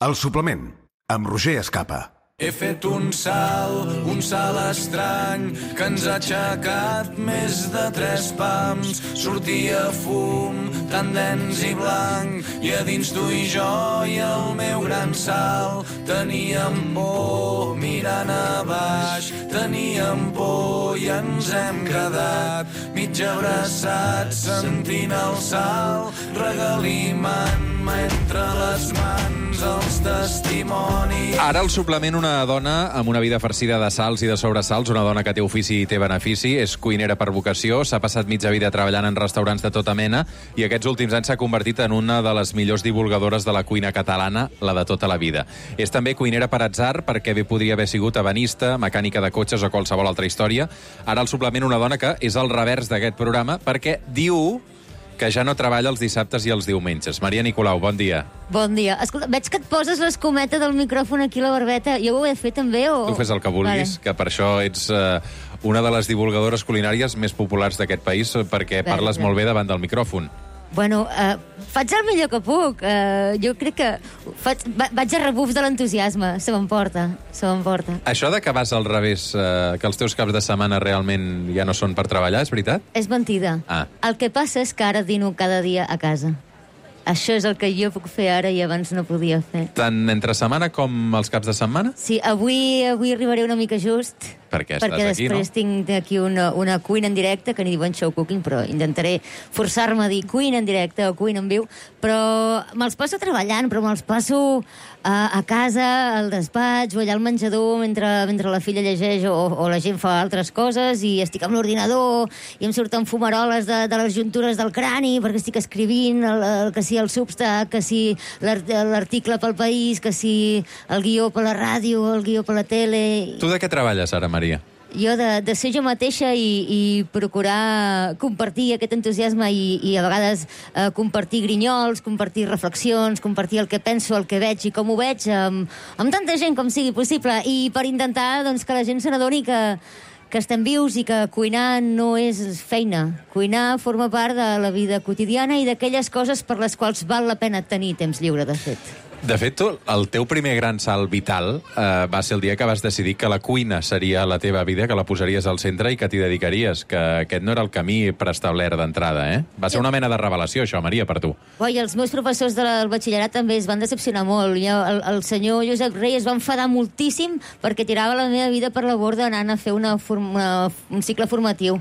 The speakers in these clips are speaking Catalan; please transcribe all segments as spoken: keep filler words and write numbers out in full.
El suplement, amb Roger Escapa. He fet un salt, un salt estrany, que ens ha aixecat més de tres pams. Sortia fum, tan dens i blanc, i a dins tu i jo i el meu gran salt. Teníem por mirant a baix, teníem por i ens hem quedat mig abraçats, sentint el salt, regalimant-me entre les mans els testimonis. Ara el suplement, una dona amb una vida farcida de salts i de sobresalts, una dona que té ofici i té benefici, és cuinera per vocació, s'ha passat mitja vida treballant en restaurants de tota mena i aquests últims anys s'ha convertit en una de les millors divulgadores de la cuina catalana, la de tota la vida. És també cuinera per atzar, perquè bé podria haver sigut ebenista, mecànica de cotxes o qualsevol altra història. Ara el suplement, una dona que és el revers d'aquest programa, perquè diu que ja no treballa els dissabtes i els diumenges. Maria Nicolau, bon dia. Bon dia. Escolta, veig que et poses l'escometa del micròfon aquí a la barbeta. Jo ho he de fer també o...? Tu fes el que vulguis, vale. Que per això ets eh, una de les divulgadores culinàries més populars d'aquest país, perquè bé, parles bé. molt bé davant del micròfon. Bueno, eh, faig el millor que puc. Eh, jo crec que faig, va, vaig a rebuf de l'entusiasme. Se m'emporta, se m'emporta. Això de que vas al revés, eh, que els teus caps de setmana realment ja no són per treballar, és veritat? És mentida. Ah. El que passa és que ara dino cada dia a casa. Això és el que jo puc fer ara i abans no podia fer. Tant entre setmana com els caps de setmana? Sí, avui, avui arribaré una mica just. Perquè estàs perquè aquí, no? Perquè després tinc aquí una, una cuina en directe, que n'hi diuen show cooking, però intentaré forçar-me a dir cuina en directe o cuina en viu, però me'ls passo treballant, però me'ls passo a, a casa, al despatx, o allà al menjador, mentre, mentre la filla llegeix o, o la gent fa altres coses, i estic amb l'ordinador, i em surten fumaroles de, de les juntures del crani, perquè estic escrivint, el, el, que si el Substack, que si l'article pel País, que si el guió per la ràdio, el guió per la tele... Tu de què treballes ara, Maria? Jo de, de ser jo mateixa i, i procurar compartir aquest entusiasme i, i a vegades eh, compartir grinyols, compartir reflexions, compartir el que penso, el que veig i com ho veig amb, amb tanta gent com sigui possible, i per intentar doncs, que la gent se n'adoni que, que estem vius i que cuinar no és feina. Cuinar forma part de la vida quotidiana i d'aquelles coses per les quals val la pena tenir temps lliure, de fet. De fet, tu, el teu primer gran salt vital eh, va ser el dia que vas decidir que la cuina seria la teva vida, que la posaries al centre i que t'hi dedicaries, que aquest no era el camí preestablert d'entrada, eh? Va ser una mena de revelació, això, Maria, per tu. Oi, els meus professors del batxillerat també es van decepcionar molt. Jo, el, el senyor Josep Rey es va enfadar moltíssim perquè tirava la meva vida per la borda anant a fer una, una, un cicle formatiu.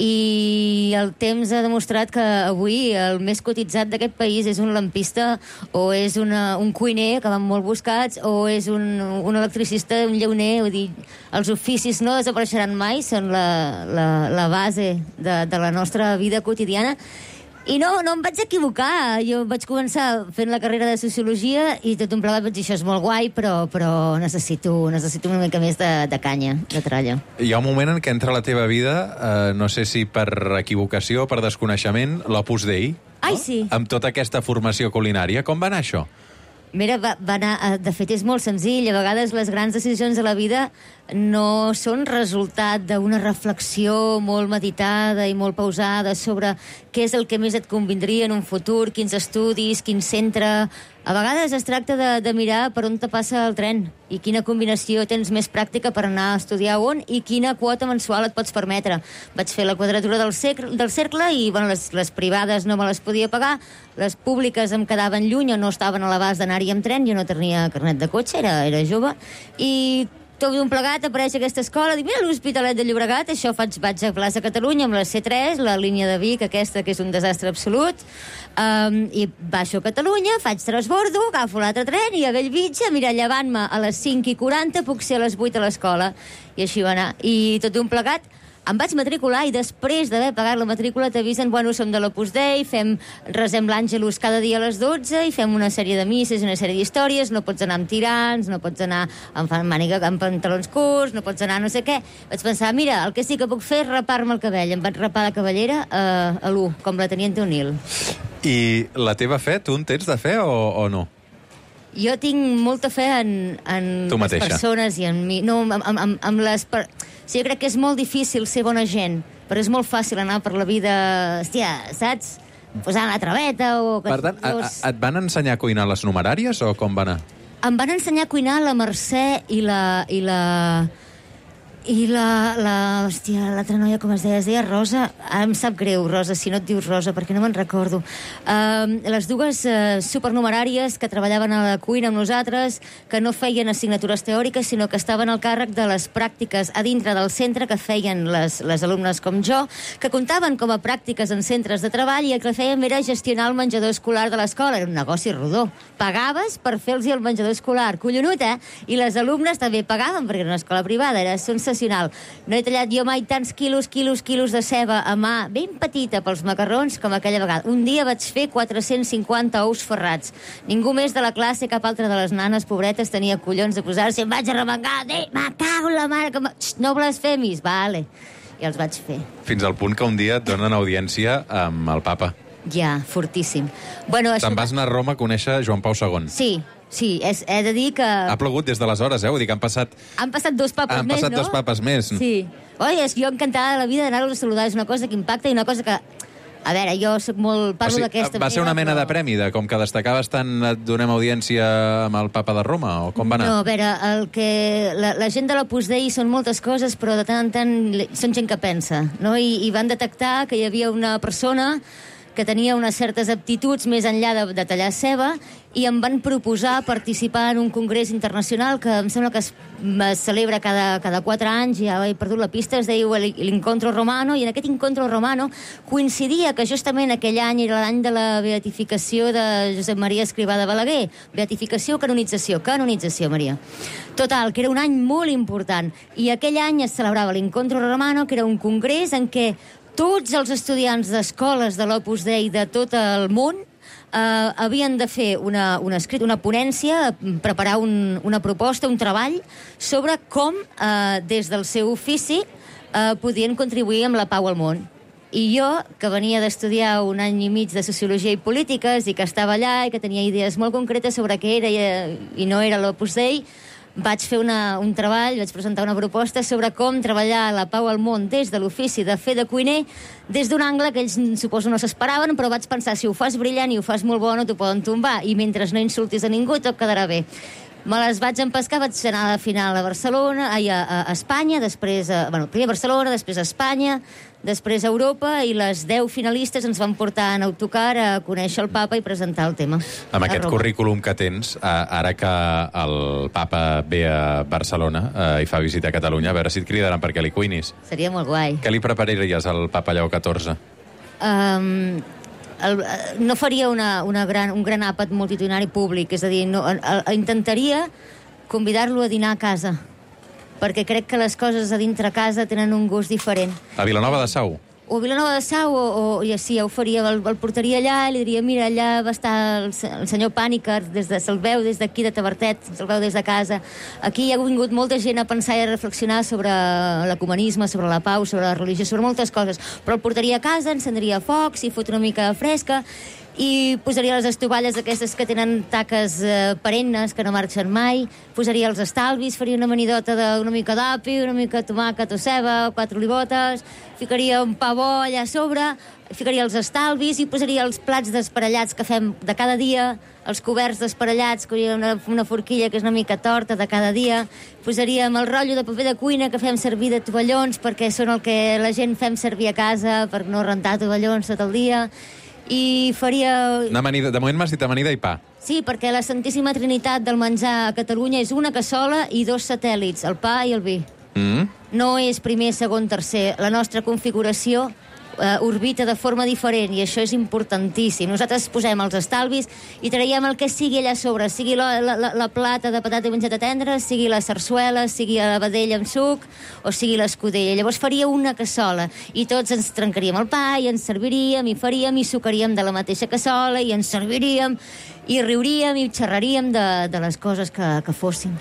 I el temps ha demostrat que avui el més cotitzat d'aquest país és un lampista o és una, un cuiner, que van molt buscats, o és un, un electricista, un llauner. Vull dir, els oficis no desapareixeran mai, són la, la, la base de, de la nostra vida quotidiana. I no, no em vaig equivocar. Jo vaig començar fent la carrera de Sociologia i tot un plegat vaig dir, això és molt guai, però, però necessito, necessito una mica més de, de canya, de tralla. Hi ha un moment en què entra a la teva vida, eh, no sé si per equivocació o per desconeixement, l'Opus Dei. Ai, sí. Amb tota aquesta formació culinària. Com va anar això? Mira, va, va anar, de fet és molt senzill. A vegades les grans decisions de la vida no són resultat d'una reflexió molt meditada i molt pausada sobre què és el que més et convindria en un futur, quins estudis, quin centre... A vegades es tracta de, de mirar per on te passa el tren i quina combinació tens més pràctica per anar a estudiar on i quina quota mensual et pots permetre. Vaig fer la quadratura del, cercle, del cercle i bueno, les, les privades no me les podia pagar, les públiques em quedaven lluny o no estaven a l'abast d'anar-hi amb tren, jo no tenia carnet de cotxe, era, era jove, i tot d'un plegat apareix aquesta escola, dic, mira, l'Hospitalet de Llobregat, això faig, vaig a Plaça Catalunya amb la C tres, la línia de Vic, aquesta que és un desastre absolut, um, i baixo a Catalunya, faig transbordo, agafo l'altre tren i a Bellvitge, mira, llevant-me a les cinc i quaranta, puc ser a les vuit a l'escola. I així va anar. I tot d'un plegat em vaig matricular i després d'haver pagat la matrícula t'avisen, bueno, som de l'Opus Dei, fem, resem l'Àngelus cada dia a les dotze i fem una sèrie de misses, una sèrie d'històries, no pots anar amb tirants, no pots anar amb màniga, amb pantalons curts, no pots anar no sé què. Vaig pensar, mira, el que sí que puc fer és rapar-me el cabell. Em vaig rapar la cabellera eh, a l'u, com la Teniente O'Neill. I la teva fe, tu en tens de fe o, o no? Jo tinc molta fe en, en les persones i en mi. No, amb, amb, amb les... Per... Sí, jo crec que és molt difícil ser bona gent, però és molt fàcil anar per la vida, hòstia, saps? Posant la traveta o... Per tant, a, a, et van ensenyar a cuinar les numeràries o com va anar? Em van ensenyar a cuinar la Mercè i la... I la... I la, la, hòstia, l'altra noia, com es deia? Es deia Rosa. Ara em sap greu, Rosa, si no et dius Rosa, perquè no me'n recordo. Uh, les dues uh, supernumeràries que treballaven a la cuina amb nosaltres, que no feien assignatures teòriques, sinó que estaven al càrrec de les pràctiques a dintre del centre que feien les, les alumnes com jo, que comptaven com a pràctiques en centres de treball i el que fèiem era gestionar el menjador escolar de l'escola. Era un negoci rodó. Pagaves per fer-los el menjador escolar. Collonut, eh? I les alumnes també pagaven, perquè era una escola privada. Era sensacional. No he tallat jo mai tants quilos, quilos, quilos de ceba a mà, ben petita pels macarrons, com aquella vegada. Un dia vaig fer quatre-cents cinquanta ous ferrats. Ningú més de la classe, cap altra de les nanes pobretes, tenia collons de posar-se. Em vaig arremangar. Eh, me cago en la mare. Que me... Xxt, no blasfemis. Vale. I els vaig fer. Fins al punt que un dia et donen audiència amb el papa. Ja, fortíssim. Bueno, Te'n vas anar a Roma a conèixer Joan Pau segon. Sí. Sí, és, he de dir que... Ha plogut des d'aleshores, eh? Vull dir que han passat... Han passat dos papes han més, passat no? dos papes més. Sí. Oi, és que jo encantada de la vida d'anar-los a saludar. És una cosa que impacta i una cosa que... A veure, jo soc molt... Parlo o sigui, d'aquesta va manera, ser una mena però... de premi, de com que destacaves tant et donem audiència amb el papa de Roma, o com va anar? No, a veure, el que... La, la gent de l'Opus Dei són moltes coses, però de tant en tant són gent que pensa, no? I, i van detectar que hi havia una persona que tenia unes certes aptituds més enllà de, de tallar ceba, i em van proposar participar en un congrés internacional que em sembla que es, es celebra cada, cada quatre anys, ja he perdut la pista, es deia l'Incontro Romano, i en aquest Incontro Romano coincidia que justament aquell any era l'any de la beatificació de Josep Maria Escrivà de Balaguer. Beatificació o canonització? Canonització, Maria. Total, que era un any molt important. I aquell any es celebrava l'Incontro Romano, que era un congrés en què tots els estudiants d'escoles de l'Opus Dei de tot el món eh, havien de fer una, una, escrit, una ponència, preparar un, una proposta, un treball, sobre com, eh, des del seu ofici, eh, podien contribuir amb la pau al món. I jo, que venia d'estudiar un any i mig de Sociologia i Polítiques, i que estava allà, i que tenia idees molt concretes sobre què era i, i no era l'Opus Dei, vaig fer una, un treball, vaig presentar una proposta sobre com treballar la pau al món des de l'ofici de fer de cuiner, des d'un angle que ells suposo no s'esperaven, però vaig pensar, si ho fas brillant i ho fas molt bo, no t'ho poden tombar, i mentre no insultis a ningú tot quedarà bé. Me les vaig empescar, vaig anar a la final a Barcelona, ai, a, a Espanya, després a, bueno, primer a Barcelona, després a Espanya, després a Europa, i les deu finalistes ens van portar en autocar a conèixer el papa i presentar el tema. Amb aquest currículum que tens, ara que el papa ve a Barcelona eh, i fa visita a Catalunya, a veure si et cridaran perquè li cuinis. Seria molt guai. Què li prepararies al papa Lleó catorze? Um, el, no faria una, una gran, un gran àpat multitudinari públic, és a dir, no, el, el, intentaria convidar-lo a dinar a casa, perquè crec que les coses a dintre casa tenen un gust diferent. A Vilanova de Sau? O a Vilanova de Sau, o, o ja sí, ja ho faria, el, el portaria allà i li diria, mira, allà va estar el, el senyor Pàniker, des de, se'l veu des d'aquí de Tavertet, se'l veu des de casa. Aquí hi ha vingut molta gent a pensar i a reflexionar sobre l'ecumenisme, sobre la pau, sobre la religió, sobre moltes coses, però el portaria a casa, encendria focs i fot una mica fresca, i posaria les estovalles aquestes que tenen taques eh, perennes, que no marxen mai, posaria els estalvis, faria una amanidota d'una mica d'api, una mica de tomàquet o ceba, quatre olivotes, ficaria un pa bo allà a sobre, ficaria els estalvis i posaria els plats desparellats que fem de cada dia, els coberts desparellats, que hi ha una, una forquilla que és una mica torta de cada dia, posaríem el rotllo de paper de cuina que fem servir de tovallons, perquè són el que la gent fem servir a casa per no rentar tovallons tot el dia, i faria... Una amanida, de moment m'has dit amanida i pa. Sí, perquè la Santíssima Trinitat del menjar a Catalunya és una cassola i dos satèl·lits, el pa i el vi. Mm. No és primer, segon, tercer. La nostra configuració eh, orbita de forma diferent, i això és importantíssim. Nosaltres posem els estalvis i traiem el que sigui allà a sobre, sigui la, la, la plata de patata i mongeta tendra, sigui la sarsuela, sigui la vedella amb suc, o sigui l'escudella. Llavors faria una cassola, i tots ens trencaríem el pa, i ens serviríem, i faríem, i sucaríem de la mateixa cassola, i ens serviríem, i riuríem, i xerraríem de, de les coses que, que fossin.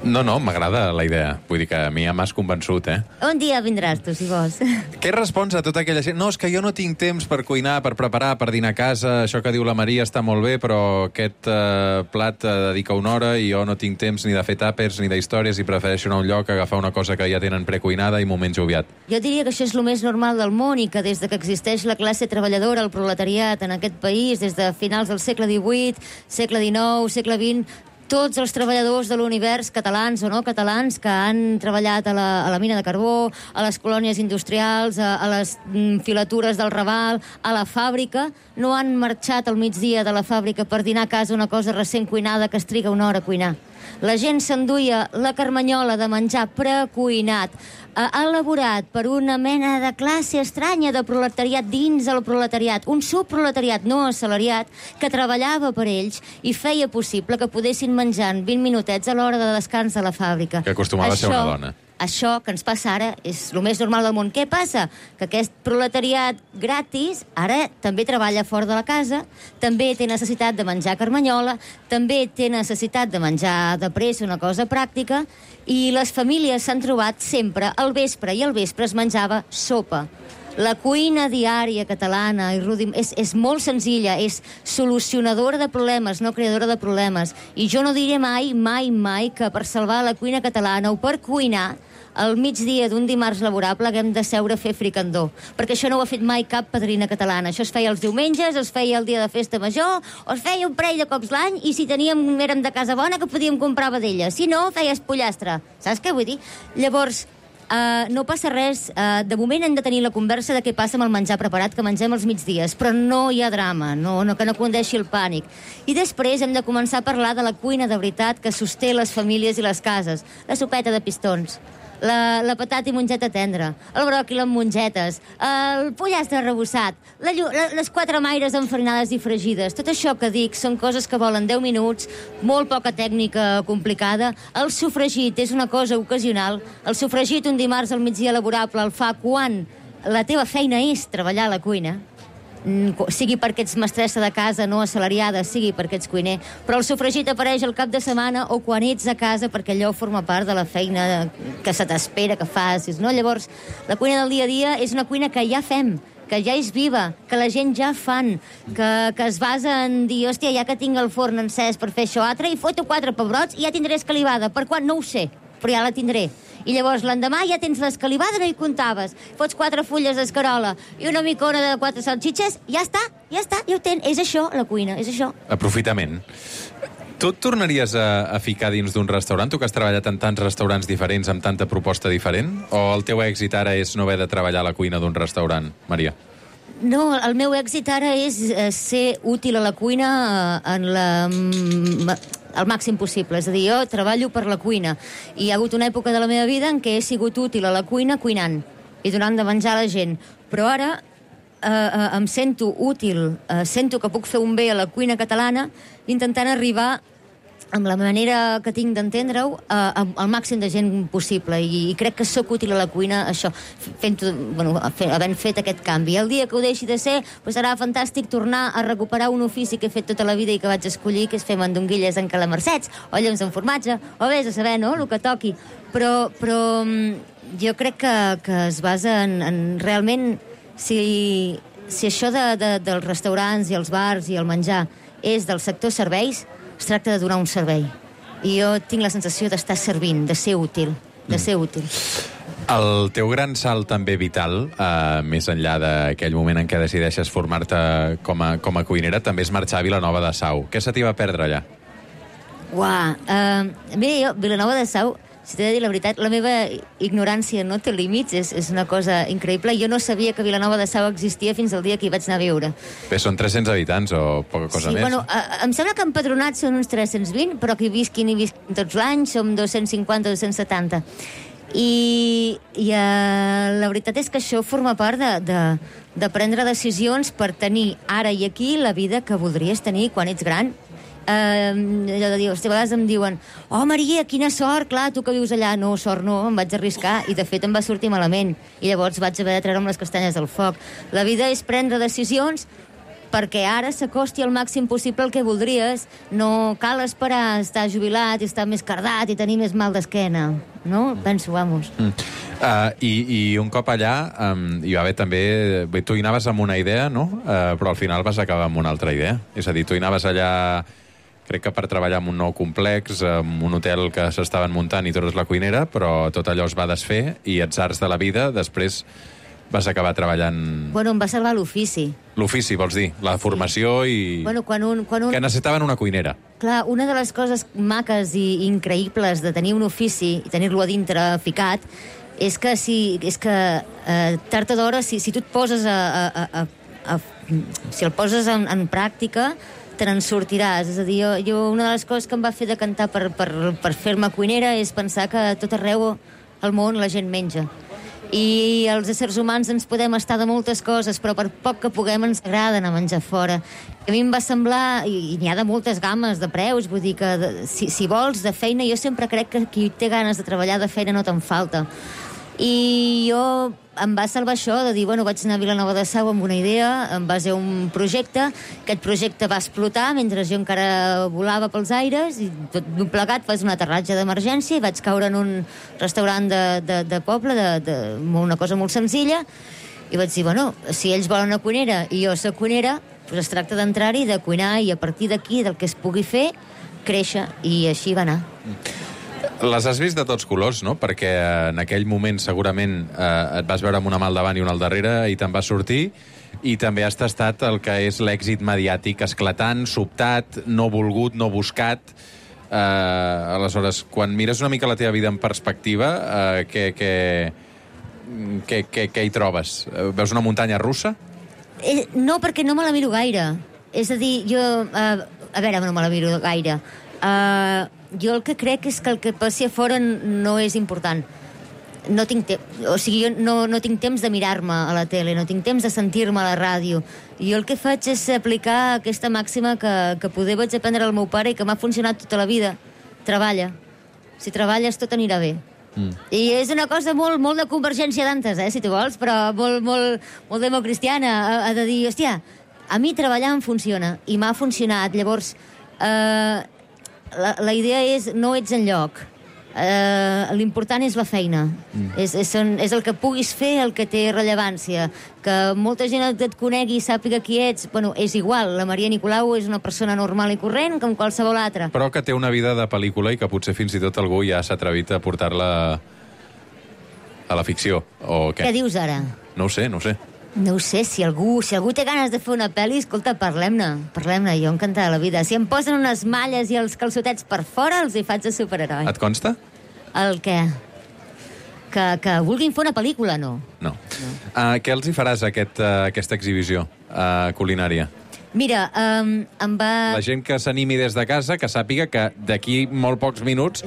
No, no, m'agrada la idea. Vull dir que a mi ja m'has convençut, eh? Un dia vindràs tu, si vols. Què respons a tota aquella gent? No, és que jo no tinc temps per cuinar, per preparar, per dinar a casa. Això que diu la Maria està molt bé, però aquest eh, plat eh, dedica una hora i jo no tinc temps ni de fer tàpers ni d'històries i prefereixo anar a un lloc, agafar una cosa que ja tenen precuinada i m'ho menjo aviat. Jo diria que això és el més normal del món i que des de que existeix la classe treballadora, el proletariat en aquest país, des de finals del segle divuit, segle dinou, segle vint, tots els treballadors de l'univers, catalans o no catalans, que han treballat a la, a la mina de carbó, a les colònies industrials, a, a les mm, filatures del Raval, a la fàbrica, no han marxat al migdia de la fàbrica per dinar a casa una cosa recent cuinada que es triga una hora a cuinar. La gent s'enduia la carmanyola de menjar precuinat, eh, elaborat per una mena de classe estranya de proletariat dins del proletariat, un subproletariat no assalariat que treballava per ells i feia possible que podessin menjar en vint minutets a l'hora de descans de la fàbrica. Que acostumava Això, a ser una dona. Això que ens passa ara és el més normal del món. Què passa? Que aquest proletariat gratis ara també treballa fora de la casa, també té necessitat de menjar carmanyola, també té necessitat de menjar de pressa, una cosa pràctica, i les famílies s'han trobat sempre al vespre, i al vespre es menjava sopa. La cuina diària catalana i rudim, és, és molt senzilla, és solucionadora de problemes, no creadora de problemes. I jo no diré mai, mai, mai que per salvar la cuina catalana o per cuinar al migdia d'un dimarts laborable haguem de seure a fer fricandó, perquè això no ho ha fet mai cap padrina catalana. Això es feia els diumenges, es feia el dia de festa major, o es feia un parell de cops l'any, i si teníem, érem de casa bona, que podíem comprar vedella. Si no, feies pollastre. Saps què vull dir? Llavors, Uh, no passa res, uh, de moment hem de tenir la conversa de què passa amb el menjar preparat que mengem els migdies, però no hi ha drama, no, no, que no condeixi el pànic. I després hem de començar a parlar de la cuina de veritat que sosté les famílies i les cases. La sopeta de pistons, la, la patata i mongeta tendra, el bròquil amb mongetes, el pollastre arrebossat, la, la, les quatre maires enfarinades i fregides. Tot això que dic són coses que volen deu minuts, molt poca tècnica complicada. El sofregit és una cosa ocasional. El sofregit un dimarts al migdia laborable el fa quan la teva feina és treballar a la cuina, sigui perquè ets mestressa de casa no assalariada, sigui perquè ets cuiner, però el sofregit apareix al cap de setmana o quan ets a casa, perquè allò forma part de la feina que se t'espera que facis, no? Llavors, la cuina del dia a dia és una cuina que ja fem, que ja és viva, que la gent ja fan, que, que es basa en dir, hòstia, ja que tinc el forn encès per fer això altre, i foto quatre pebrots i ja tindré escalivada. Per quan? No ho sé, però ja la tindré. I llavors l'endemà ja tens l'escalivada, no hi comptaves. Fots quatre fulles d'escarola i una micona de quatre salxitxes, ja està, ja està, ja ho tens. És això, la cuina, és això. Aprofitament. Tu et tornaries a, a ficar dins d'un restaurant? Tu que has treballat en tants restaurants diferents, amb tanta proposta diferent? O el teu èxit ara és no haver de treballar a la cuina d'un restaurant, Maria? No, el meu èxit ara és eh, ser útil a la cuina eh, en la... al màxim possible. És a dir, jo treballo per la cuina. I hi ha hagut una època de la meva vida en què he sigut útil a la cuina cuinant i donant de menjar a la gent. Però ara eh, eh, em sento útil, eh, sento que puc fer un bé a la cuina catalana intentant arribar amb la manera que tinc d'entendre-ho, eh, al màxim de gent possible. I, i crec que sóc útil a la cuina, això, fent, bueno, fent, havent fet aquest canvi. El dia que ho deixi de ser, pues serà fantàstic tornar a recuperar un ofici que he fet tota la vida i que vaig escollir, que és fer mandonguilles en calamarsets, o lloms en formatge, o vés a saber, no?, el que toqui. Però, però jo crec que, que es basa en, en realment, si, si això de, de, dels restaurants i els bars i el menjar és del sector serveis, es tracta de donar un servei. I jo tinc la sensació d'estar servint, de ser útil, de ser útil. El teu gran salt també vital, eh, més enllà d'aquell moment en què decideixes formar-te com a, com a cuinera, també és marxar a Vilanova de Sau. Què se t'hi va perdre allà? Uah, uh, bé, jo, Vilanova de Sau, si t'he de dir la veritat, la meva ignorància no té límits, és, és una cosa increïble. Jo no sabia que Vilanova de Sau existia fins al dia que hi vaig anar a viure. Bé, són tres-cents habitants o poca cosa sí, més? Bueno, a, em sembla que empadronats són uns tres-cents vint, però que hi visquin i visquin tots l'any som dos-cents cinquanta, dos-cents setanta. I, i uh, la veritat és que això forma part de, de, de prendre decisions per tenir ara i aquí la vida que voldries tenir quan ets gran. Uh, allò de dir, a vegades em diuen oh Maria, quina sort, clar, tu que vius allà. No, sort no, em vaig arriscar i de fet em va sortir malament i llavors vaig haver de treure'm les castanyes del foc. La vida és prendre decisions perquè ara s'acosti al màxim possible el que voldries. No cal esperar estar jubilat i estar més cardat i tenir més mal d'esquena, no? Penso, vamos. Mm. Uh, i, I un cop allà um, hi va haver també... Bé, tu hi anaves amb una idea, no? Uh, però al final vas acabar amb una altra idea. És a dir, tu hi anaves allà... Crec que per treballar en un nou complex, en un hotel que s'estaven muntant i tu eres la cuinera, però tot allò es va desfer i atzars de la vida, després vas acabar treballant... Bueno, em va salvar l'ofici. L'ofici, vols dir? La formació i... Bueno, quan un, quan un... Que necessitaven una cuinera. Clar, una de les coses maques i increïbles de tenir un ofici i tenir-lo a dintre ficat és que, si, és que eh, tard o d'hora, si, si tu et poses a... a, a, a si el poses en, en pràctica, te n'en sortiràs. És a dir, jo, jo, una de les coses que em va fer decantar per, per, per fer-me cuinera és pensar que a tot arreu al món la gent menja. I els éssers humans ens podem estar de moltes coses, però per poc que puguem ens agrada anar a menjar fora. A mi em va semblar, i n'hi ha de moltes games de preus, vull dir que de, si, si vols de feina, jo sempre crec que qui té ganes de treballar de feina no te'n falta. I jo em va salvar això de dir, bueno, vaig anar a Vilanova de Sau amb una idea, en base a un projecte. Aquest projecte va explotar mentre jo encara volava pels aires i tot d'un plegat vaig un aterratge d'emergència i vaig caure en un restaurant de, de, de poble, de, de, una cosa molt senzilla, i vaig dir, bueno, si ells volen una cuinera i jo soc cuinera, doncs es tracta d'entrar-hi, de cuinar, i a partir d'aquí, del que es pugui fer, créixer, i així va anar. Les has vist de tots colors, no? Perquè en aquell moment segurament eh, et vas veure amb una mà al davant i una al darrere i te'n vas sortir, i també has tastat el que és l'èxit mediàtic esclatant, sobtat, no volgut, no buscat. Eh, aleshores, quan mires una mica la teva vida en perspectiva, eh, què, què, què, què, què hi trobes? Veus una muntanya russa? Eh, no, perquè no me la miro gaire. És a dir, jo... Eh, a veure, no me la miro gaire. Uh, jo el que crec és que el que passi a fora no és important. No tinc temps, o sigui, jo no, no tinc temps de mirar-me a la tele, no tinc temps de sentir-me a la ràdio. Jo el que faig és aplicar aquesta màxima que, que poder vaig aprendre al meu pare i que m'ha funcionat tota la vida. Treballa. Si treballes, tot anirà bé. Mm. I és una cosa molt, molt de Convergència d'antes, eh, si tu vols, però molt, molt, molt democristiana, ha, ha de dir, hòstia, a mi treballar em funciona, i m'ha funcionat. Llavors, eh, La, la idea és no ets enlloc. Uh, l'important és la feina. Mm. És, és, és el que puguis fer el que té rellevància. Que molta gent et conegui i sàpiga qui ets, bueno, és igual. La Maria Nicolau és una persona normal i corrent com qualsevol altra. Però que té una vida de pel·lícula i que potser fins i tot algú ja s'ha atrevit a portar-la a la ficció. O què? Què dius ara? No ho sé, no ho sé. No ho sé, si algú, si algú té ganes de fer una pel·li, escolta, parlem-ne, parlem-ne, jo encantada la vida. Si em posen unes malles i els calçotets per fora, els hi faig de superheroi. Et consta? El què? Que, que vulguin fer una pel·lícula, no. No. no. Uh, què els hi faràs a aquest, uh, aquesta exhibició uh, culinària? Mira, um, em va... La gent que s'animi des de casa, que sàpiga que d'aquí molt pocs minuts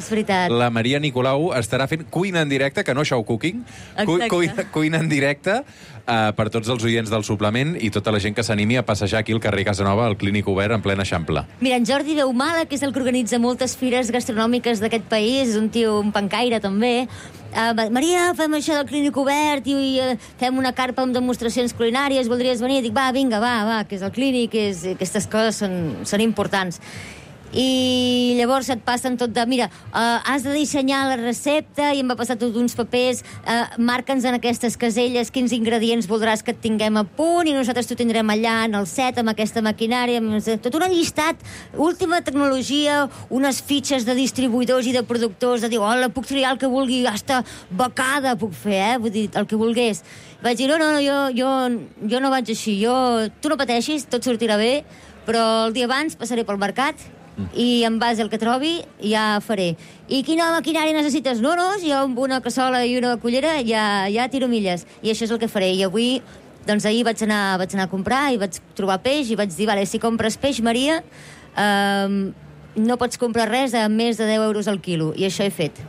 la Maria Nicolau estarà fent cuina en directe, que no show cooking, cu cuina, cuina en directe uh, per tots els oients del suplement i tota la gent que s'animi a passejar aquí al carrer Casanova, al Clínic Obert, en plena Eixample. Mira, en Jordi Beumala, que és el que organitza moltes fires gastronòmiques d'aquest país, és un tio, un pancaire també. Uh, Maria, fem això del Clínic Obert i, i uh, fem una carpa amb demostracions culinàries, voldries venir? Dic, va, vinga, va, va, que és el Clínic, és, aquestes coses són, són importants. I llavors et passen tot de, mira, uh, has de dissenyar la recepta, i em va passar tot uns papers, uh, marca'ns en aquestes caselles quins ingredients voldràs que et tinguem a punt, i nosaltres t'ho tindrem allà en el set amb aquesta maquinària, tot un llistat, última tecnologia, unes fitxes de distribuïdors i de productors, de dir, hola, puc triar el que vulgui, hasta becada puc fer, eh? Vull dir, el que volgués. Vaig dir, no, no, no, jo, jo, jo no vaig així, jo, tu no pateixis, tot sortirà bé, però el dia abans passaré pel mercat i en base al que trobi ja faré. I quina maquinària necessites? No, no, jo amb una cassola i una cullera ja, ja tiro milles. I això és el que faré. I avui, doncs ahir vaig anar, vaig anar a comprar i vaig trobar peix i vaig dir, vale, si compres peix, Maria, eh, no pots comprar res a més de deu euros al quilo. I això he fet.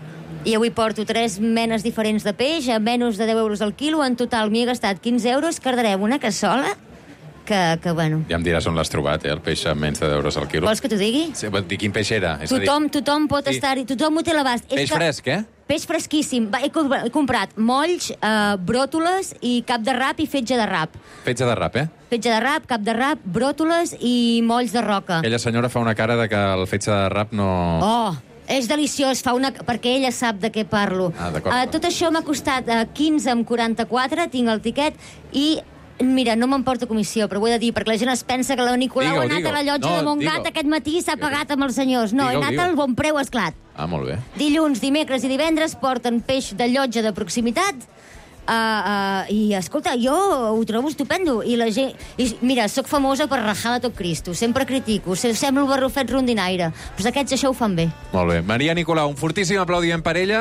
I avui porto tres menes diferents de peix a menys de deu euros al quilo. En total m'hi he gastat quinze euros, cardarem una cassola que, que bueno... Ja em diràs on l'has trobat, eh, el peix a menys de deu euros al quilo. Vols que t'ho digui? Sí, dir quin peix era. És tothom, dir... tothom pot sí. estar-hi, tothom ho té a l'abast. Peix que... fresc, eh? Peix fresquíssim. Va, he, comp he comprat molls, eh, bròtoles i cap de rap i fetge de rap. Fetge de rap, eh? Fetge de rap, cap de rap, bròtoles i molls de roca. Aquella senyora fa una cara de que el fetge de rap no... Oh! És deliciós, fa una... perquè ella sap de què parlo. Ah, d'acord. Uh, tot això m'ha costat uh, quinze amb quaranta-quatre, tinc el tiquet, i mira, no m'emporta comissió, però ho he de dir, perquè la gent es pensa que la Nicolau ha anat a la llotja no, de Montgat aquest matí i s'ha pagat amb els senyors. No, he anat al Bon Preu Esclat. Ah, molt bé. Dilluns, dimecres i divendres porten peix de llotja de proximitat, Uh, uh, I, escolta, jo ho trobo estupendo. I la gent... I, mira, sóc famosa per rajar de tot Cristo. Sempre critico. Semblo barrufet rondinaire. Però aquests això ho fan bé. Molt bé. Maria Nicolau, un fortíssim aplaudiment per ella.